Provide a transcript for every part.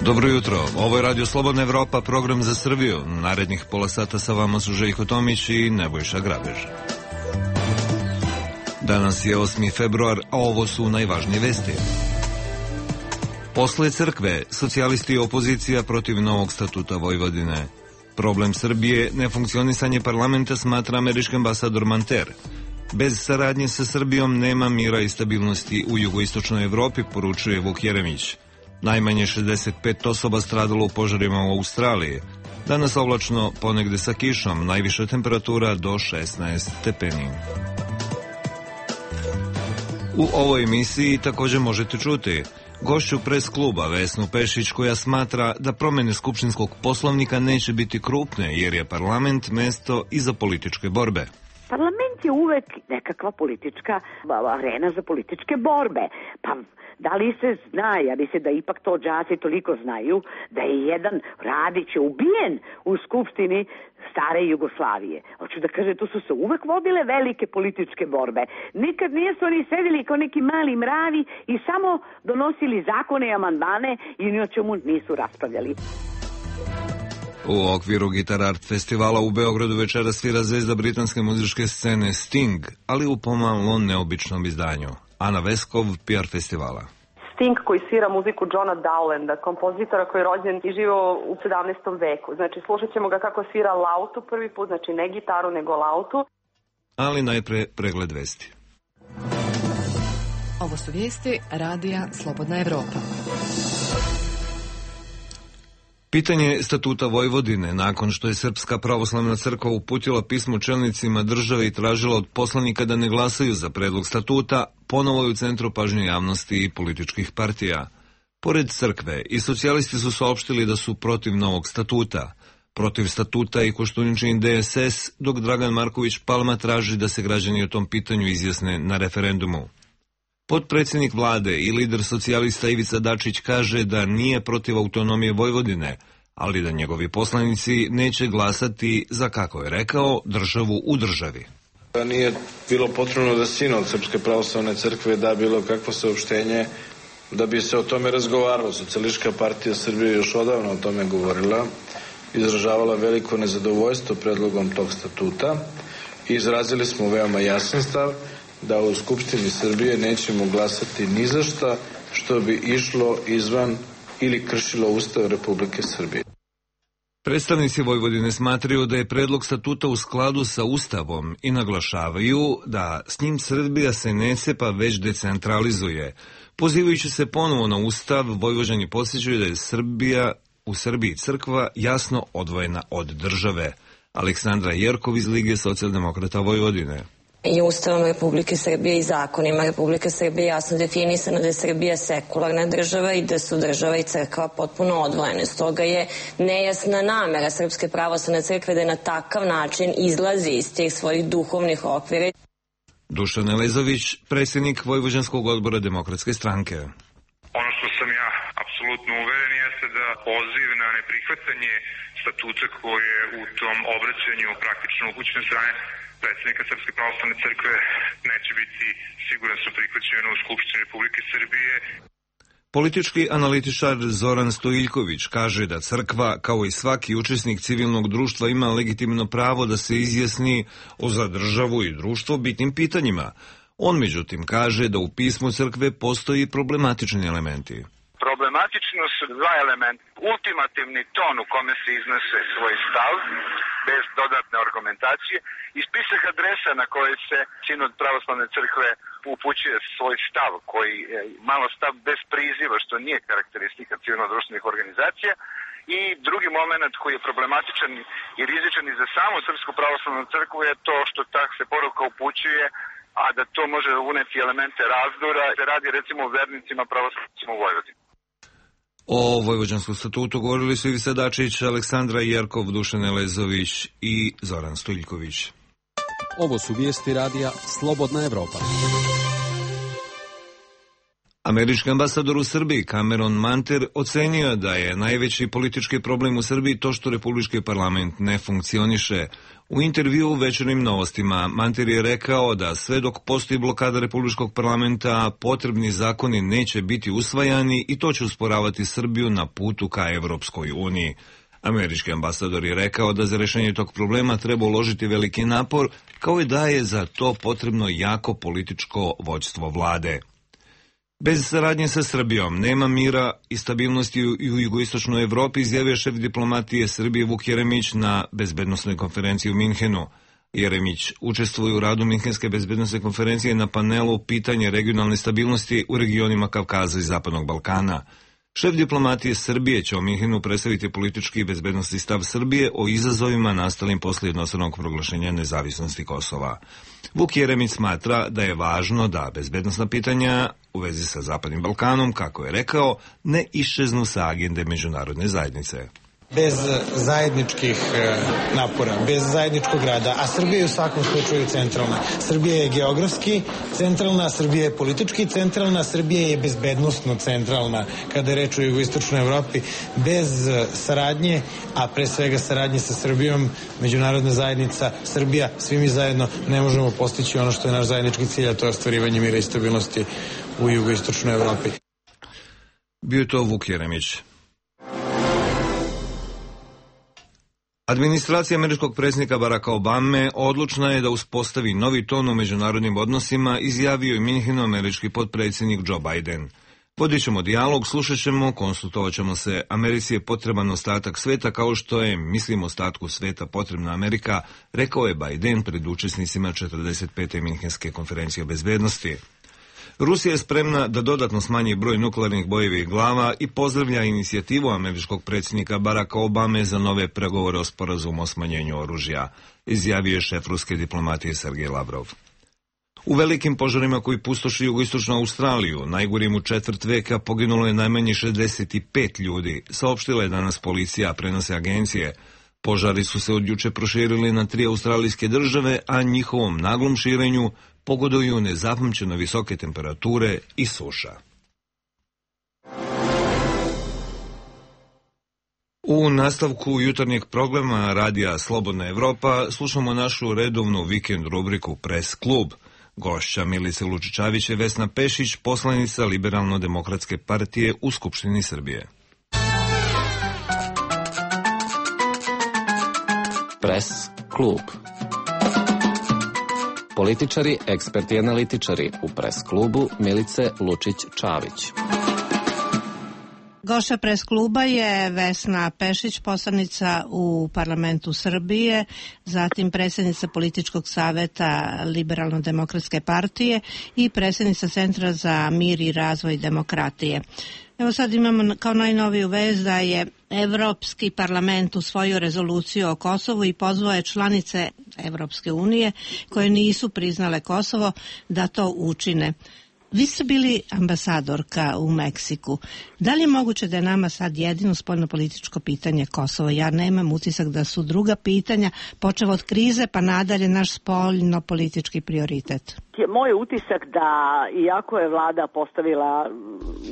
Dobro jutro, ovo je Radio Slobodna Evropa, program za Srbiju. Narednih pola sata sa vama su Željko Tomić i Nebojša Grabež. Danas je 8. februar, a ovo su najvažnije vesti. Posle crkve, socijalisti i opozicija protiv novog statuta Vojvodine. Problem Srbije, nefunkcionisanje parlamenta, smatra američki ambasador Manter. Bez saradnje sa Srbijom nema mira i stabilnosti u jugoistočnoj Evropi, poručuje Vuk Jeremić. Najmanje 65 osoba stradalo u požarima u Australiji. Danas oblačno, ponegde sa kišom, najviša temperatura do 16 stepeni. U ovoj emisiji također možete čuti gošću pres kluba Vesnu Pešić, koja smatra da promene skupštinskog poslovnika neće biti krupne jer je parlament mesto i za političke borbe. Parlament je uvek nekakva politička arena za političke borbe. Pa da li se zna, ja mislim da ipak to đaci toliko znaju, da je jedan Radić ubijen u skupštini stare Jugoslavije. Hoću da kažem, tu su se uvek vodile velike političke borbe. Nikad nisu oni sedeli kao neki mali mravi i samo donosili zakone i amandmane i ni o čemu nisu raspravljali. U okviru Guitar Art festivala u Beogradu večera svira zvezda britanske muzičke scene Sting, ali u pomalo neobičnom izdanju. Ana Veskov, PR festivala. Sting koji svira muziku Johna Dowlanda, kompozitora koji je rođen i živio u 17. veku. Znači, slušat ćemo ga kako svira lautu prvi put, znači ne gitaru nego lautu. Ali najpre pregled vesti. Ovo su vijesti Radija Slobodna Evropa. Pitanje statuta Vojvodine, nakon što je Srpska pravoslavna crkva uputila pismo čelnicima države i tražila od poslanika da ne glasaju za predlog statuta, ponovo je u centru pažnje javnosti i političkih partija. Pored crkve, i socijalisti su saopštili da su protiv novog statuta. Protiv statuta i Koštuničin DSS, dok Dragan Marković Palma traži da se građani o tom pitanju izjasne na referendumu. Potpredsjednik vlade i lider socijalista Ivica Dačić kaže da nije protiv autonomije Vojvodine, ali da njegovi poslanici neće glasati za, kako je rekao, državu u državi. Nije bilo potrebno da Sinod Srpske pravoslavne crkve da bilo kakvo saopštenje da bi se o tome razgovaralo. Socijalistička partija Srbije još odavno o tome govorila, izražavala veliko nezadovoljstvo predlogom tog statuta i izrazili smo veoma jasan stav da u Skupštini Srbije nećemo glasati ni za šta što bi išlo izvan ili kršilo Ustav Republike Srbije. Predstavnici Vojvodine smatraju da je predlog statuta u skladu sa Ustavom i naglašavaju da s njim Srbija se ne cepa već decentralizuje. Pozivajući se ponovo na Ustav, Vojvođani podsjećaju da je u Srbiji crkva jasno odvojena od države. Aleksandra Jerkov iz Lige socijaldemokrata Vojvodine. I Ustavom Republike Srbije i zakonima Republike Srbije jasno definisano da je Srbija sekularna država i da su država i crkva potpuno odvojene. Stoga je nejasna namera Srpske pravoslavne crkve da na takav način izlazi iz tih svojih duhovnih okvira. Dušan Elezović, predsjednik Vojvođanskog odbora Demokratske stranke. Ono što sam ja apsolutno uveren jeste da poziv na neprihvatanje statuta koji je u tom obraćanju praktično upućen strane predsjednika Srpske pravoslavne crkve neće biti siguran su prihvaćeno u Skupštini Republike Srbije. Politički analitičar Zoran Stojiljković kaže da crkva, kao i svaki učesnik civilnog društva, ima legitimno pravo da se izjasni o za državu i društvo bitnim pitanjima. On međutim kaže da u pismu crkve postoji problematični elementi. Problematično su dva elementa. Ultimativni ton u kome se iznose svoj stav, bez dodatne argumentacije, i spisak adresa na koje se Sinod pravoslavne crkve upućuje svoj stav, koji je malo stav bez priziva, što nije karakteristika civilno-društvenih organizacija. I drugi moment koji je problematičan i rizičan i za samu Srpsku pravoslavnu crkvu je to što tak se poruka upućuje, a da to može uneti elemente razdora. Se radi recimo o vernicima pravoslavnicima u Vojvodini. O Vojvođanskom statutu govorili su Ivica Dačić, Aleksandra Jerkov, Dušan Elezović i Zoran Stojiljković. Ovo su vijesti Radija Slobodna Evropa. Američki ambasador u Srbiji Cameron Manter ocenio da je najveći politički problem u Srbiji to što Republički parlament ne funkcioniše. U intervju u Večernjim novostima Manter je rekao da sve dok postoji blokada Republičkog parlamenta, potrebni zakoni neće biti usvajani i to će usporavati Srbiju na putu ka Evropskoj uniji. Američki ambasador je rekao da za rešenje tog problema treba uložiti veliki napor, kao i da je za to potrebno jako političko vođstvo vlade. Bez saradnje sa Srbijom nema mira i stabilnosti u jugoistočnoj Evropi, izjavio šef diplomatije Srbije Vuk Jeremić na bezbednosnoj konferenciji u Minhenu. Jeremić učestvuje u radu Minhenske bezbednosne konferencije na panelu pitanje regionalne stabilnosti u regionima Kavkaza i Zapadnog Balkana. Šef diplomatije Srbije će u Minhenu predstaviti politički i bezbednosni stav Srbije o izazovima nastalim posle jednostranog proglašenja nezavisnosti Kosova. Vuk Jeremić smatra da je važno da bezbednosna pitanja u vezi sa Zapadnim Balkanom, kako je rekao, ne iščeznu sa agende međunarodne zajednice. Bez zajedničkih napora, bez zajedničkog rada, a Srbija je u svakom slučaju centralna. Srbija je geografski centralna, Srbija je politički centralna, Srbija je bezbednosno centralna kada je reč o jugoistočnoj Evropi. Bez saradnje, a pre svega saradnje sa Srbijom, međunarodna zajednica, Srbija, svi mi zajedno ne možemo postići ono što je naš zajednički cilj, a to je ostvarivanje mira i stabilnosti u jugoistočnoj Evropi. Bio je to Vuk Jeremić. Administracija američkog predsjednika Baracka Obame odlučna je da uspostavi novi ton u međunarodnim odnosima, izjavio je Minhenu američki potpredsjednik Joe Biden. Vodit ćemo dijalog, slušat ćemo, konsultovat ćemo se. Americi je potreban ostatak sveta kao što je, mislim, ostatku sveta potrebna Amerika, rekao je Biden pred učesnicima 45. Minhenske konferencije o bezbednosti. Rusija je spremna da dodatno smanji broj nuklearnih bojevih glava i pozdravlja inicijativu američkog predsjednika Baracka Obame za nove pregovore o sporazumu o smanjenju oružja, izjavio je šef ruske diplomatije Sergej Lavrov. U velikim požarima koji pustoši jugoistočnu Australiju, najgorim u četvrt veka, poginulo je najmanje 65 ljudi, saopštila je danas policija, prenose agencije. Požari su se od juče proširili na 3 australijske države, a njihovom naglom širenju pogoduju nezapamćeno visoke temperature i suša. U nastavku jutarnjeg programa Radija Slobodna Evropa slušamo našu redovnu vikend rubriku Press klub. Gošća Milice Lučičavić je Vesna Pešić, poslanica Liberalno-demokratske partije u Skupštini Srbije. Press klub. Političari, eksperti i analitičari u Press klubu Milice Lučić-Čavić. Gošća Press kluba je Vesna Pešić, poslanica u parlamentu Srbije, zatim predsjednica političkog saveta Liberalno-demokratske partije i predsjednica Centra za mir i razvoj demokratije. Evo sad imamo kao najnoviju vest da je Evropski parlament usvojio rezoluciju o Kosovu i pozvao je članice Evropske unije koje nisu priznale Kosovo da to učine. Vi ste bili ambasadorka u Meksiku. Da li je moguće da je nama sad jedino spoljnopolitičko pitanje Kosovo? Ja nemam utisak da su druga pitanja, počev od krize pa nadalje, naš spoljnopolitički prioritet. Moj utisak da, iako je vlada postavila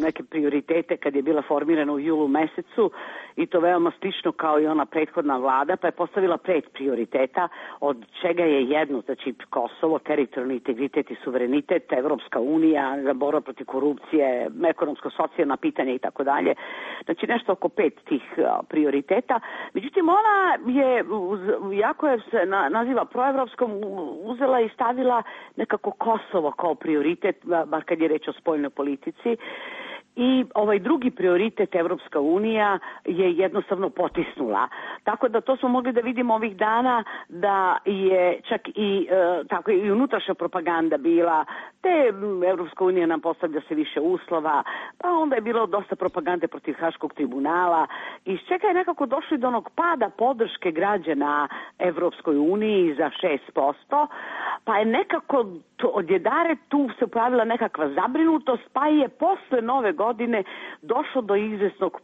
neke prioritete kad je bila formirana u julu mesecu, i to veoma slično kao i ona prethodna vlada, pa je postavila 5 prioriteta, od čega je jedno, znači Kosovo, teritorijalni integritet i suverenitet, Evropska unija, borba protiv korupcije, ekonomsko-socijalna pitanja i tako dalje. Znači nešto oko 5 tih prioriteta. Međutim, ona je, jako je se naziva proevropskom, uzela i stavila nekako Kosovo kao prioritet, bar kad je reč o spoljnoj politici. I ovaj drugi prioritet, Evropska unija, je jednostavno potisnula. Tako da to smo mogli da vidimo ovih dana da je čak i tako i unutrašnja propaganda bila, te Evropska unija nam postavlja se više uslova, pa onda je bilo dosta propagande protiv Haškog tribunala, iz čega je nekako došli do onog pada podrške građana Evropskoj uniji za 6%, pa je nekako odjedare tu se pojavila nekakva zabrinutost, pa je posle Nove godine došlo do izvesnog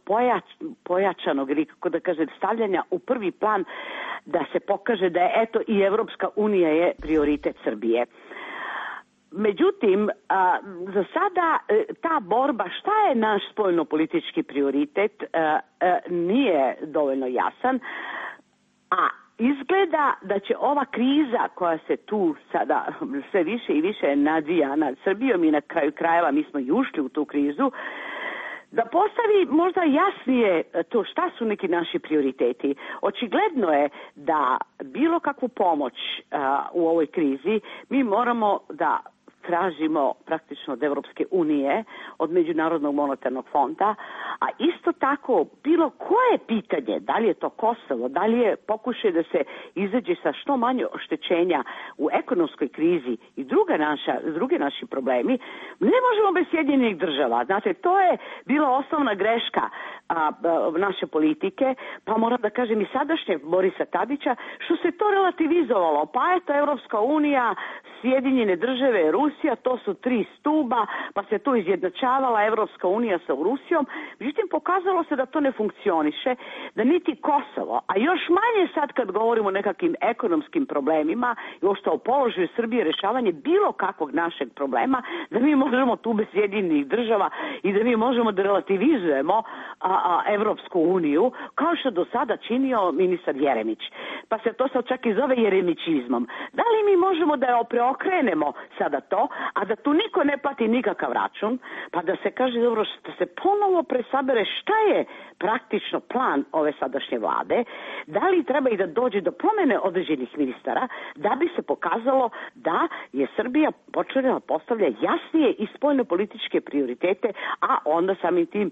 pojačanog, ili kako da kažem, stavljanja u prvi plan da se pokaže da je eto i Evropska unija je prioritet Srbije. Međutim, za sada ta borba, šta je naš spoljno-politički prioritet, nije dovoljno jasan, a izgleda da će ova kriza koja se tu sada sve više i više nadzija nad Srbijom i na kraju krajeva mi smo i ušli u tu krizu, da postavi možda jasnije to šta su neki naši prioriteti. Očigledno je da bilo kakvu pomoć u ovoj krizi mi moramo da tražimo praktično od Evropske unije, od Međunarodnog monetarnog fonda, a isto tako bilo koje pitanje, da li je to Kosovo, da li je pokušaj da se izađe sa što manje oštećenja u ekonomskoj krizi i drugi naši problemi, ne možemo bez Sjedinjenih država. Znate, to je bila osnovna greška naše politike, pa moram da kažem i sadašnje Borisa Tadića, što se to relativizovalo. Pa eto, Evropska unija, Sjedinjene države, Rusija, to su 3 stuba, pa se tu izjednačavala Evropska unija sa Rusijom. Međutim, pokazalo se da to ne funkcioniše, da niti Kosovo, a još manje sad kad govorimo o nekakvim ekonomskim problemima i uopšte o položaju Srbije, rešavanje bilo kakvog našeg problema, da mi možemo tu bez Sjedinjenih država i da mi možemo da relativizujemo Evropsku uniju, kao što do sada činio ministar Jeremić. Pa se to sad čak i zove jeremićizmom. Da li mi možemo da preokrenemo sada to, a da tu niko ne plati nikakav račun, pa da se kaže, dobro, da se ponovo presabere šta je praktično plan ove sadašnje vlade, da li treba i da dođe do promene određenih ministara, da bi se pokazalo da je Srbija počela da postavlja jasnije i spoljno-političke prioritete, a onda samim tim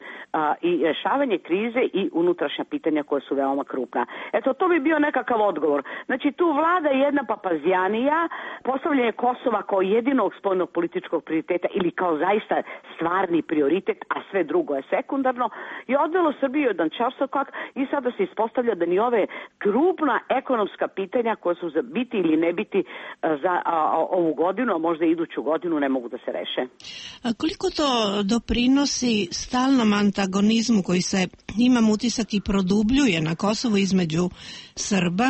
i rešavanje krize i unutrašnja pitanja koja su veoma krupna. Eto, to bi bio nekakav odgovor. Znači, tu vlada jedna papazjanija, postavljanje Kosova kao jedinog spoljno-političkog prioriteta ili kao zaista stvarni prioritet, a sve drugo je sekundarno, je odvelo Srbiju jedan čarsokak i sada se ispostavlja da ni ove krupna ekonomska pitanja koja su za biti ili ne biti za ovu godinu, a možda iduću godinu, ne mogu da se reše. A koliko to doprinosi stalnom antagonizmu koji se, imam utisak, i produbljuje na Kosovu između Srba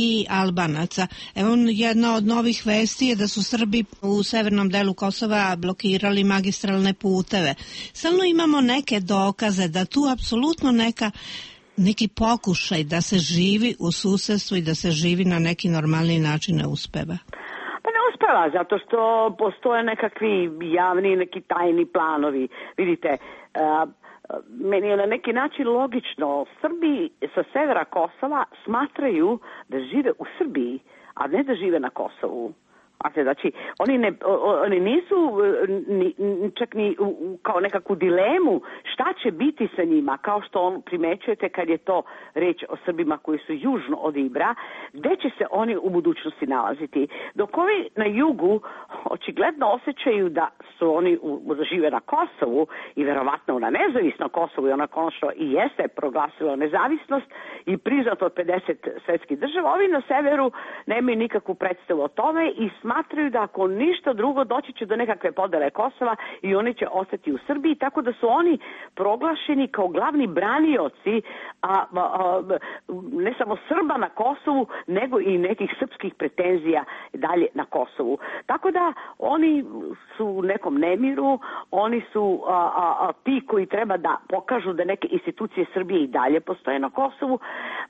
i Albanaca? Evo, jedna od novih vesti je da su Srbi u severnom delu Kosova blokirali magistralne puteve. Stalno imamo neke dokaze da tu apsolutno neki pokušaj da se živi u susedstvu i da se živi na neki normalni način ne uspeva. Pa ne uspeva, zato što postoje nekakvi javni, neki tajni planovi. Vidite, meni je na neki način logično. Srbi sa severa Kosova smatraju da žive u Srbiji, a ne da žive na Kosovu. Znači, oni nisu čak ni kao nekakvu dilemu šta će biti sa njima, kao što on primećujete kad je to reč o Srbima koji su južno od Ibra, gde će se oni u budućnosti nalaziti. Dok ovi na jugu očigledno osjećaju da su oni žive na Kosovu i verovatno na nezavisno Kosovu, i ona konačno i jeste proglasilo nezavisnost i priznato od 50 svetskih država, ovi na severu nemaju nikakvu predstavu o tome i smatraju da ako ništa drugo doći će do nekakve podele Kosova i oni će ostati u Srbiji, tako da su oni proglašeni kao glavni branioci ne samo Srba na Kosovu, nego i nekih srpskih pretenzija dalje na Kosovu. Tako da oni su u nekom nemiru, oni su ti koji treba da pokažu da neke institucije Srbije i dalje postoje na Kosovu,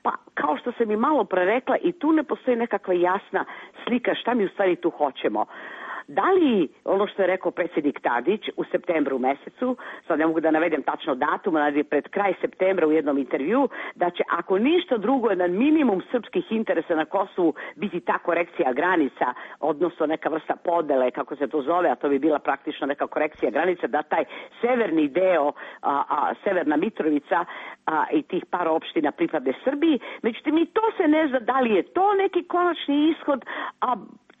pa kao što sam i malo pre rekla, i tu ne postoji nekakva jasna slika šta mi u stvari tu hoćemo. Da li, ono što je rekao predsjednik Tadić u septembru mesecu, sad ne mogu da navedem tačno datum, ali pred kraj septembra u jednom intervju, da će ako ništa drugo na minimum srpskih interesa na Kosovu biti ta korekcija granica, odnosno neka vrsta podele, kako se to zove, a to bi bila praktično neka korekcija granica, da taj severni deo, Severna Mitrovica i tih par opština pripadne Srbiji. Međutim, i to se ne zna da li je to neki konačni ishod,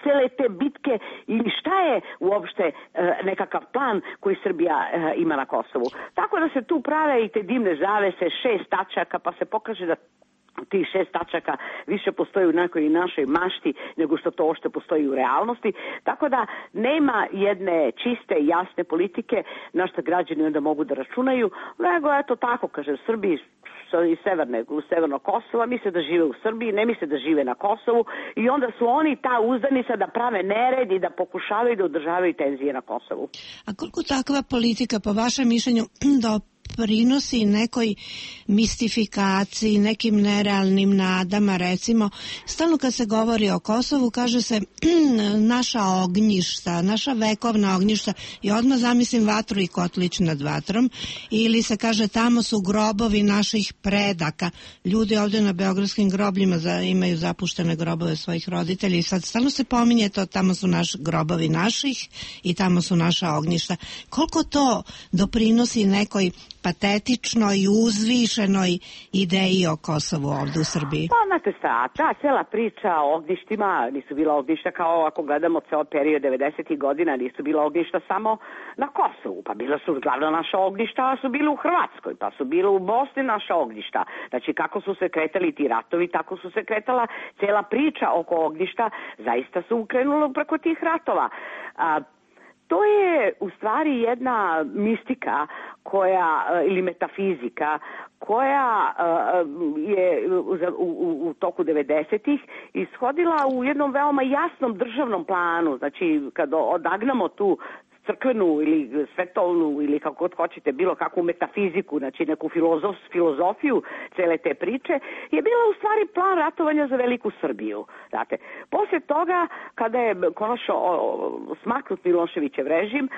cele te bitke ili šta je uopšte nekakav plan koji Srbija ima na Kosovu. Tako da se tu prave i te dimne zavese, 6 tačaka, pa se pokaže da tih 6 tačaka više postoji u nekoj našoj mašti nego što to ošte postoji u realnosti. Tako da nema jedne čiste, jasne politike na što građani onda mogu da računaju, nego eto tako, kaže, Srbiji iz severnog Kosova, misle da žive u Srbiji, ne misle da žive na Kosovu i onda su oni ta uzdanica da prave nered i da pokušavaju da održavaju tenzije na Kosovu. A koliko takva politika, po vašem mišljenju, doprinosi nekoj mistifikaciji, nekim nerealnim nadama, recimo, stalno kad se govori o Kosovu, kaže se naša ognjišta, naša vekovna ognjišta i odmah zamislim vatru i kotlić nad vatrom, ili se kaže tamo su grobovi naših predaka. Ljudi ovdje na beogradskim grobljima imaju zapuštene grobove svojih roditelja i sad stalno se pominje to, tamo su grobovi naših i tamo su naša ognjišta. Koliko to doprinosi nekoj patetičnoj i uzvišenoj ideji o Kosovu ovdje u Srbiji? Pa, znate šta, ta cijela priča o ognjištima, nisu bila ognjišta kao ako gledamo ceo period 90. godina, nisu bila ognjišta samo na Kosovu, pa bila su glavno naša ognjišta, a su bili u Hrvatskoj, pa su bili u Bosni naša ognjišta. Znači, kako su se kretali ti ratovi, tako su se kretala cijela priča oko ognjišta, zaista su ukrenuli preko tih ratova. To je u stvari jedna mistika ili metafizika koja je u toku 90-ih ishodila u jednom veoma jasnom državnom planu. Znači, kad odagnamo tu crkvenu ili svetovnu ili kako god hoćete, bilo kakvu metafiziku, znači neku filozofiju cele te priče, je bila u stvari plan ratovanja za veliku Srbiju. Znate, poslije toga, kada je konačno smaknut Miloševićev režim,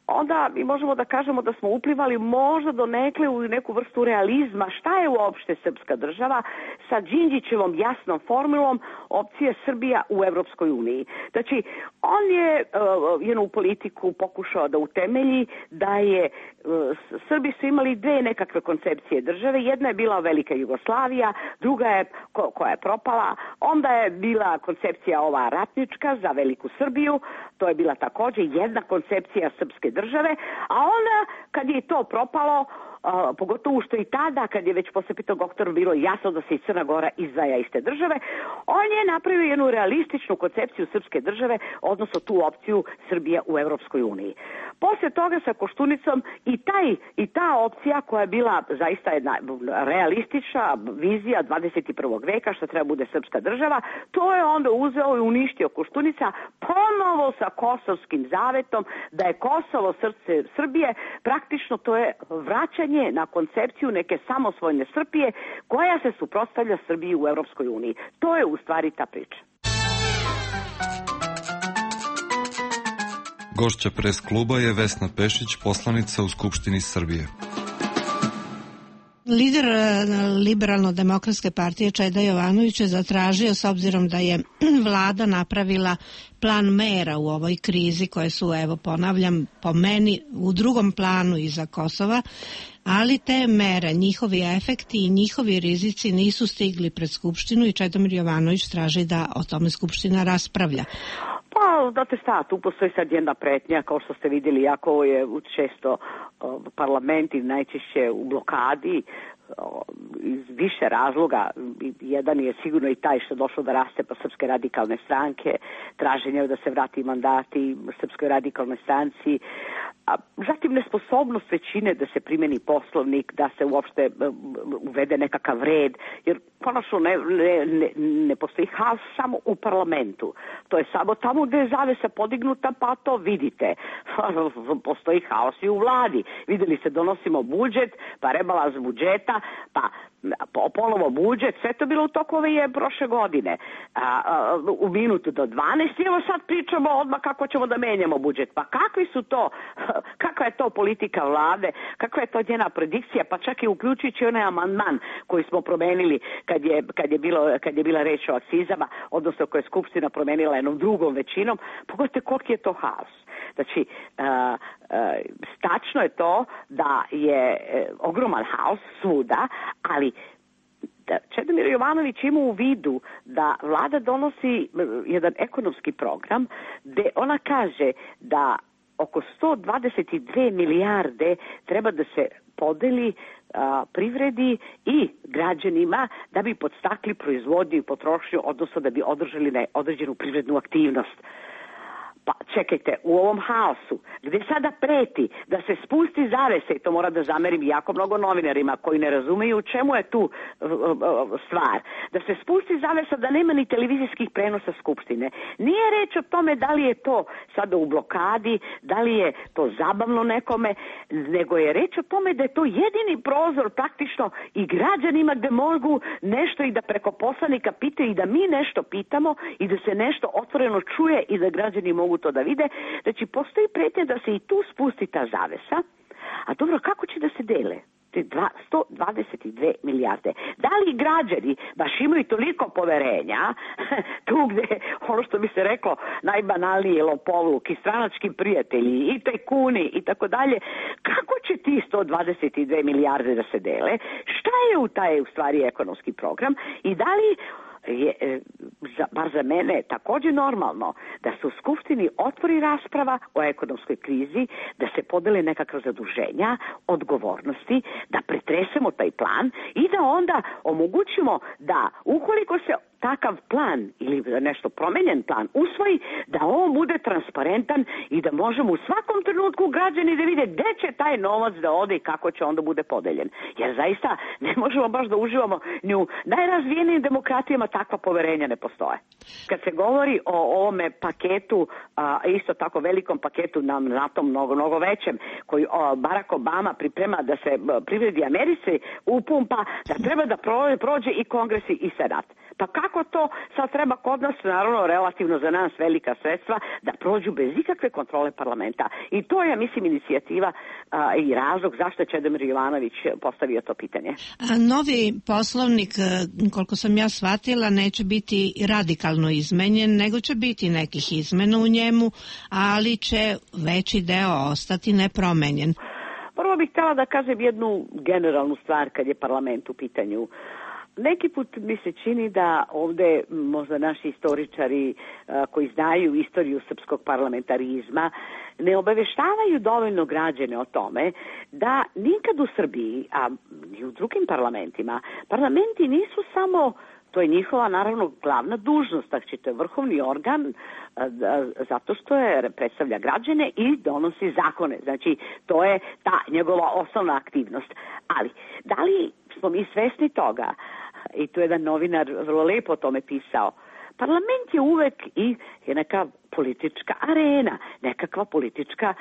onda mi možemo da kažemo da smo uplivali možda donekle u neku vrstu realizma šta je uopšte srpska država sa Đinđićevom jasnom formulom opcije Srbija u Evropskoj uniji. Znači, on je jednu politiku pokušao da utemelji da je Srbi su imali dve nekakve koncepcije države. Jedna je bila Velika Jugoslavija, druga je koja je propala. Onda je bila koncepcija ova ratnička za Veliku Srbiju. To je bila također jedna koncepcija srpske države. A onda kad je to propalo, pogotovo što i tada, kad je već posle 5. oktobra bilo jasno da se i Crna Gora izdvaja iz te države, on je napravio jednu realističnu koncepciju srpske države, odnosno tu opciju Srbija u Evropskoj uniji. Poslije toga sa Koštunicom i ta opcija koja je bila zaista jedna realistična vizija 21. veka što treba bude srpska država, to je onda uzeo i uništio Koštunica ponovo sa Kosovskim zavetom da je Kosovo srce Srbije, praktično to je vraćanje na koncepciju neke samosvojne Srbije koja se suprotstavlja Srbiji u Evropskoj uniji. To je u stvari ta priča. Gošća pres kluba je Vesna Pešić, poslanica u Skupštini Srbije. Lider Liberalno-demokratske partije Čeda Jovanović je zatražio, s obzirom da je vlada napravila plan mera u ovoj krizi koje su, evo ponavljam, po meni u drugom planu iza Kosova, ali te mere, njihovi efekti i njihovi rizici nisu stigli pred Skupštinu i Čedomir Jovanović traži da o tome Skupština raspravlja. Pa, znate šta, tu postoji sad jedna pretnja, kao što ste vidjeli, jako je često parlamenti najčešće u blokadi iz više razloga. Jedan je sigurno i taj što je došlo da raste po Srpske radikalne stranke, traženje da se vrati mandati Srpskoj radikalnoj stranci, zatim nesposobnost većine da se primeni poslovnik, da se uopšte uvede nekakav red, jer konačno ne postoji haos samo u parlamentu. To je samo tamo gde je zavesa podignuta, pa to vidite. Postoji haos i u vladi. Videli se, donosimo budžet, pa rebalans budžeta, pa ponovo budžet, sve to bilo u toku ove prošle godine. U minutu do 12 i evo sad pričamo odmah kako ćemo da menjamo budžet. Pa kakvi su to, kakva je to politika vlade, kakva je to njena predikcija, pa čak i uključujući onaj amandman koji smo promenili kad je bila reč o akcizama, odnosno koje je Skupština promenila jednom drugom većinom. Pogledajte koliki je to haos. Znači, tačno je to da je ogroman haos svuda, ali Čedomir Jovanović ima u vidu da vlada donosi jedan ekonomski program gde ona kaže da oko 122 milijarde treba da se podeli privredi i građanima da bi podstakli proizvodnju i potrošnju, odnosno da bi održali određenu privrednu aktivnost. Pa čekajte, u ovom haosu, gde sada preti da se spusti zavesa, i to mora da zamerim jako mnogo novinarima koji ne razumeju u čemu je tu stvar, da se spusti zavesa da nema ni televizijskih prenosa Skupštine. Nije reč o tome da li je to sada u blokadi, da li je to zabavno nekome, nego je reč o tome da je to jedini prozor praktično i građanima gde mogu nešto i da preko poslanika pitaju i da mi nešto pitamo i da se nešto otvoreno čuje i da građani mogu to da vide. Znači, postoji pretnja da se i tu spusti ta zavesa, a dobro, kako će da se dele? 122 milijarde. Da li građani baš imaju toliko poverenja tu gde, ono što bi se reklo, najbanalnije lopovluk i stranački prijatelji i tajkuni i tako dalje, kako će ti 122 milijarde da se dele? Šta je u taj u stvari ekonomski program i da li je, bar za mene, takođe normalno da se u Skupštini otvori rasprava o ekonomskoj krizi, da se podele nekakva zaduženja, odgovornosti, da pretresemo taj plan i da onda omogućimo da ukoliko se takav plan ili nešto promenjen plan usvoji, da on bude transparentan i da možemo u svakom trenutku građani da vide gde će taj novac da ode i kako će onda bude podeljen. Jer zaista ne možemo baš da uživamo ni u najrazvijenijim demokratijama, takva poverenja ne postoje. Kad se govori o ovome paketu, isto tako velikom paketu na tom mnogo većem, koji Barack Obama priprema da se privredi Americi upumpa, da treba da prođe i kongresi i senat. Pa kako to sad treba kod nas, naravno relativno za nas velika sredstva, da prođu bez ikakve kontrole parlamenta. I to je, mislim, inicijativa i razlog zašto je Čedomir Jovanović postavio to pitanje. Novi poslovnik, koliko sam ja shvatila, neće biti radikalno izmenjen, nego će biti nekih izmena u njemu, ali će veći deo ostati nepromenjen. Prvo bih htjela da kažem jednu generalnu stvar kad je parlament u pitanju. Neki put mi se čini da ovde možda naši istoričari koji znaju istoriju srpskog parlamentarizma ne obaveštavaju dovoljno građane o tome da nikad u Srbiji, a i u drugim parlamentima, parlamenti nisu samo, to je njihova naravno glavna dužnost, znači to je vrhovni organ zato što je predstavlja građane i donosi zakone. Znači to je ta njegova osnovna aktivnost. Ali da li smo mi svesni toga, i tu je jedan novinar vrlo lepo o tome pisao, parlament je uvek i neka politička arena, nekakva politička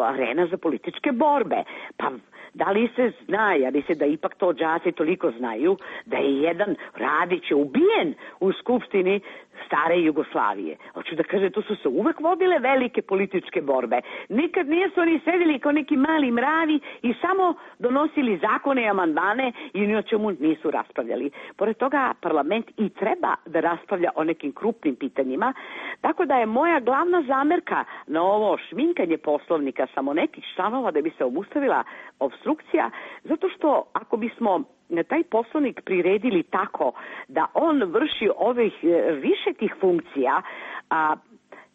arena za političke borbe. Pa da li se zna, ja mislim da ipak to đaci toliko znaju, da je jedan Radić ubijen u Skupštini stare Jugoslavije. Hoću da kažem, tu su se uvek vodile velike političke borbe. Nikad nisu oni sedeli kao neki mali mravi i samo donosili zakone i amandmane i ni o čemu nisu raspravljali. Pored toga, parlament i treba da raspravlja o nekim krupnim pitanjima, tako da je moja glavna zamerka na ovo šminkanje poslovnika samo nekih članova da bi se obustavila obstrukcija, zato što ako bismo taj poslovnik priredili tako da on vrši ovih više tih funkcija,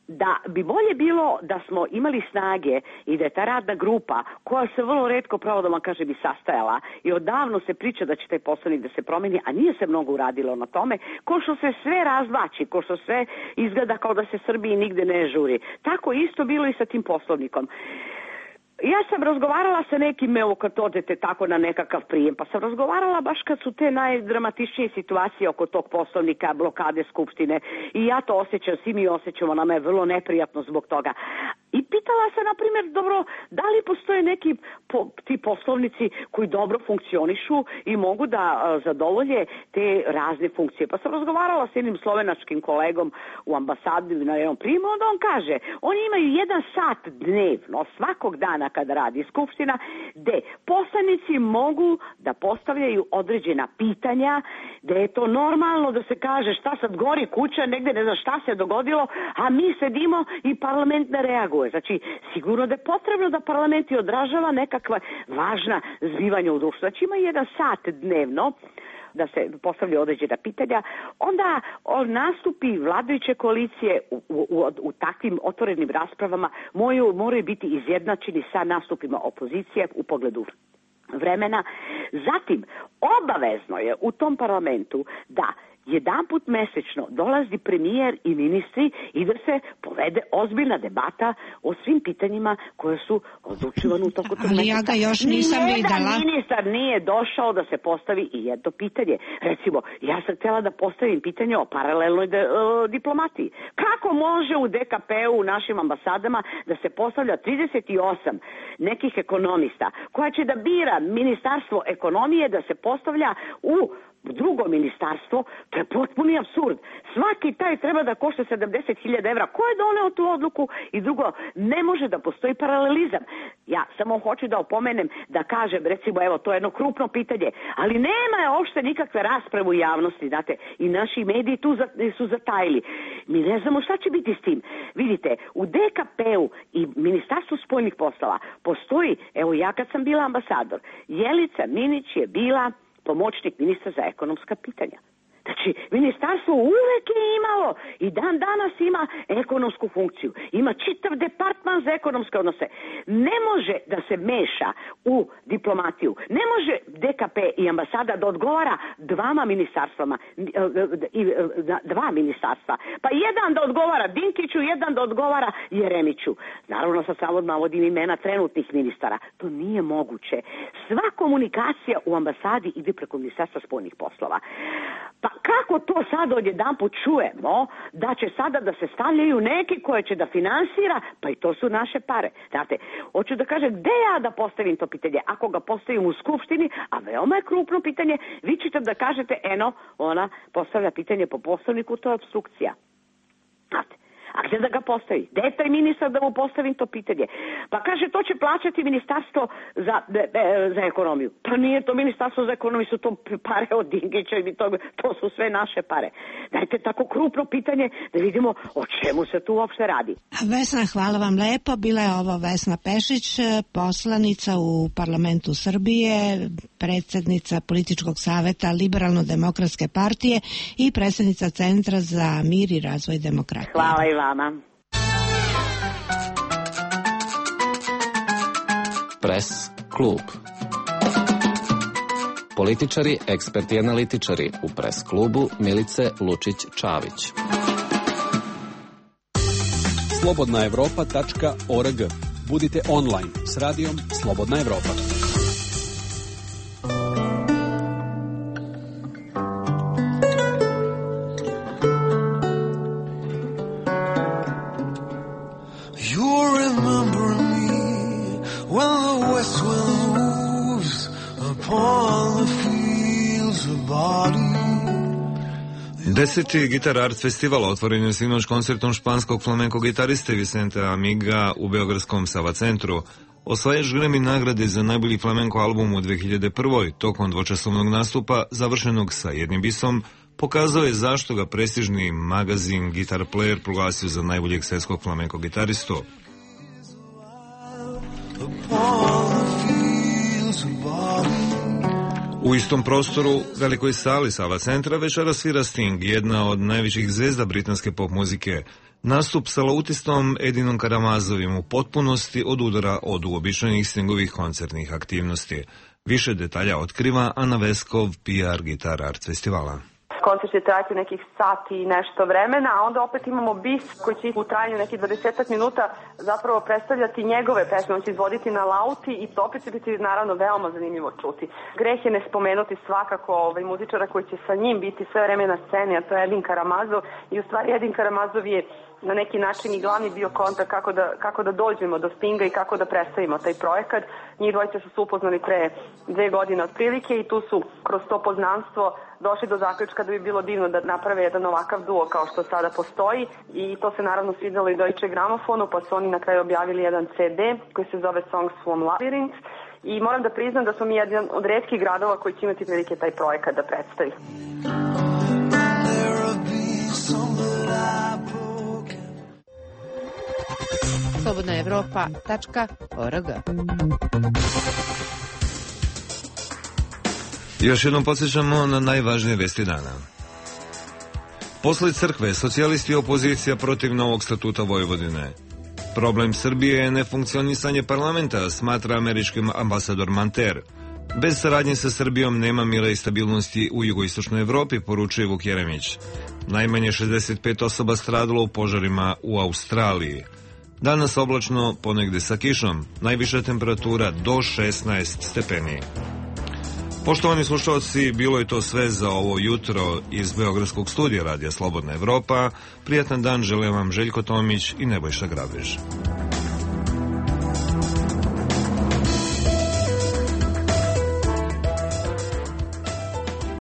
da bi bolje bilo da smo imali snage i da je ta radna grupa, koja se vrlo retko, pravo da vam kaže, bi sastajala i odavno se priča da će taj poslovnik da se promeni, a nije se mnogo uradilo na tome, ko što se sve razvlači, ko što sve izgleda kao da se Srbiji nigde ne žuri. Tako isto bilo i sa tim poslovnikom. Ja sam razgovarala sa nekim, evo kad odete tako na nekakav prijem, pa sam razgovarala baš kad su te najdramatičnije situacije oko tog poslovnika, blokade Skupštine i ja to osjećam, svi mi osjećamo, nama je vrlo neprijatno zbog toga. I pitala sam, na primjer, dobro, da li postoje neki ti poslovnici koji dobro funkcionišu i mogu da zadovolje te razne funkcije. Pa sam razgovarala s jednim slovenačkim kolegom u ambasadi na jednom prijemu, onda on kaže, oni imaju 1 sat dnevno, svakog dana kada radi Skupština, gde poslanici mogu da postavljaju određena pitanja, gde je to normalno da se kaže šta sad gori kuća, negde ne zna šta se dogodilo, a mi sedimo i parlament ne reaguje. Znači, sigurno da je potrebno da parlament i odražava nekakva važna zbivanja u društvu. Znači, ima 1 sat dnevno da se postavlja određena pitanja, onda nastupi vladajuće koalicije u takvim otvorenim raspravama moraju biti izjednačeni sa nastupima opozicije u pogledu vremena. Zatim, obavezno je u tom parlamentu da jedanput mesečno dolazi premijer i ministri i da se povede ozbiljna debata o svim pitanjima koje su odlučivane u toku tog meseca. Ali ja ga još nisam videla. Nijedan ministar nije došao da se postavi i jedno pitanje. Recimo, ja sam htjela da postavim pitanje o paralelnoj diplomatiji. Kako može u DKP-u, u našim ambasadama, da se postavlja 38 nekih ekonomista koja će da bira ministarstvo ekonomije da se postavlja u drugo ministarstvo? To je potpuni apsurd. Svaki taj treba da košta 70.000 evra. Ko je doneo tu odluku? I drugo, ne može da postoji paralelizam. Ja samo hoću da opomenem, da kažem, recimo, evo, to je jedno krupno pitanje, ali nema je uopšte nikakve rasprave u javnosti, znate, i naši mediji tu su zatajili. Mi ne znamo šta će biti s tim. Vidite, u DKP-u i Ministarstvu spoljnih poslova postoji, evo ja kad sam bila ambasador, Jelica Minić je bila pomoćnik ministra za ekonomska pitanja. Znači, ministarstvo uvek je imalo i dan danas ima ekonomsku funkciju. Ima čitav departman za ekonomske odnose. Ne može da se meša u diplomatiju. Ne može DKP i ambasada da odgovara dva ministarstva. Pa jedan da odgovara Dinkiću, jedan da odgovara Jeremiću. Naravno, sad samo navodim imena trenutnih ministara. To nije moguće. Sva komunikacija u ambasadi ide preko Ministarstva spoljnih poslova. Pa kako to sad odjedanput čujemo da će sada da se stavljaju neki koje će da finansira, pa i to su naše pare. Znate, hoću da kažem, gde ja da postavim to pitanje? Ako ga postavim u skupštini, a veoma je krupno pitanje, vi ćete da kažete, eno, ona postavlja pitanje po poslovniku, to je obstrukcija. Znate, a gde da ga postavi? Gde je taj ministar da mu postavim to pitanje? Pa kaže, to će plaćati ministarstvo za ekonomiju. Pa nije to ministarstvo za ekonomiju, su to pare od Dinkića i to su sve naše pare. Dajte tako krupno pitanje da vidimo o čemu se tu uopšte radi. Vesna, hvala vam lepo. Bila je ovo Vesna Pešić, poslanica u parlamentu Srbije, predsjednica političkog saveta Liberalno-demokratske partije i predsjednica Centra za mir i razvoj demokratije. Hvala i vama. Press klub. Političari, eksperti i analitičari u Press klubu Milice Lučić-Čavić. slobodnaevropa.org. Budite online s radijom Slobodna Evropa. Deseti Guitar Art Festival otvoren je sinoć koncertom španskog flamenko gitariste Vicente Amiga u beogradskom Sava centru. Osvajač Grammy nagrade za najbolji flamenko album u 2001. tokom dvočasovnog nastupa, završenog sa jednim bisom, pokazao je zašto ga prestižni magazin Guitar Player proglasio za najboljeg svetskog flamenko gitaristu. U istom prostoru, velikoj sali Sava centra, večera svira Sting, jedna od najvećih zvezda britanske pop muzike. Nastup sa lautistom Edinom Karamazovim u potpunosti odudara od uobičajenih Stingovih koncertnih aktivnosti. Više detalja otkriva Ana Veskov, PR Guitar Art festivala. Koncert će trajati nekih sati i nešto vremena, a onda opet imamo bis koji će u trajanju nekih 20 minuta zapravo predstavljati njegove pesme. On će izvoditi na lauti i to opet će biti naravno veoma zanimljivo čuti. Greh je ne spomenuti svakako muzičara koji će sa njim biti sve vreme na sceni, a to je Edin Karamazov. I u stvari Edin Karamazov je na neki način i glavni bio kontakt kako da dođemo do Stinga i kako da predstavimo taj projekat. Njih dvojice su se upoznali pre 2 godine otprilike i tu su kroz to poznanstvo došli do zaključka da bi bilo divno da naprave jedan ovakav duo kao što sada postoji i to se naravno svidjelo i Deutsche Gramofonu, pa su oni na kraju objavili jedan CD koji se zove Songs from Labyrinth i moram da priznam da smo mi jedan od retkih gradova koji će imati prilike taj projekat da predstavi. slobodnaevropa.org. Još jednom podsjećamo na najvažnije vesti dana. Posle crkve, socijalisti i opozicija protiv novog statuta Vojvodine. Problem Srbije je nefunkcionisanje parlamenta, smatra američki ambasador Manter. Bez saradnje sa Srbijom nema mira i stabilnosti u jugoistočnoj Evropi, poručuje Vuk Jeremić. Najmanje 65 osoba stradalo u požarima u Australiji. Danas oblačno, ponegde sa kišom, najviša temperatura do 16 stepeni. Poštovani slušalci, bilo je to sve za ovo jutro iz Beogradskog studija Radija Slobodna Evropa. Prijatan dan želim vam Željko Tomić i Nebojša Grabež.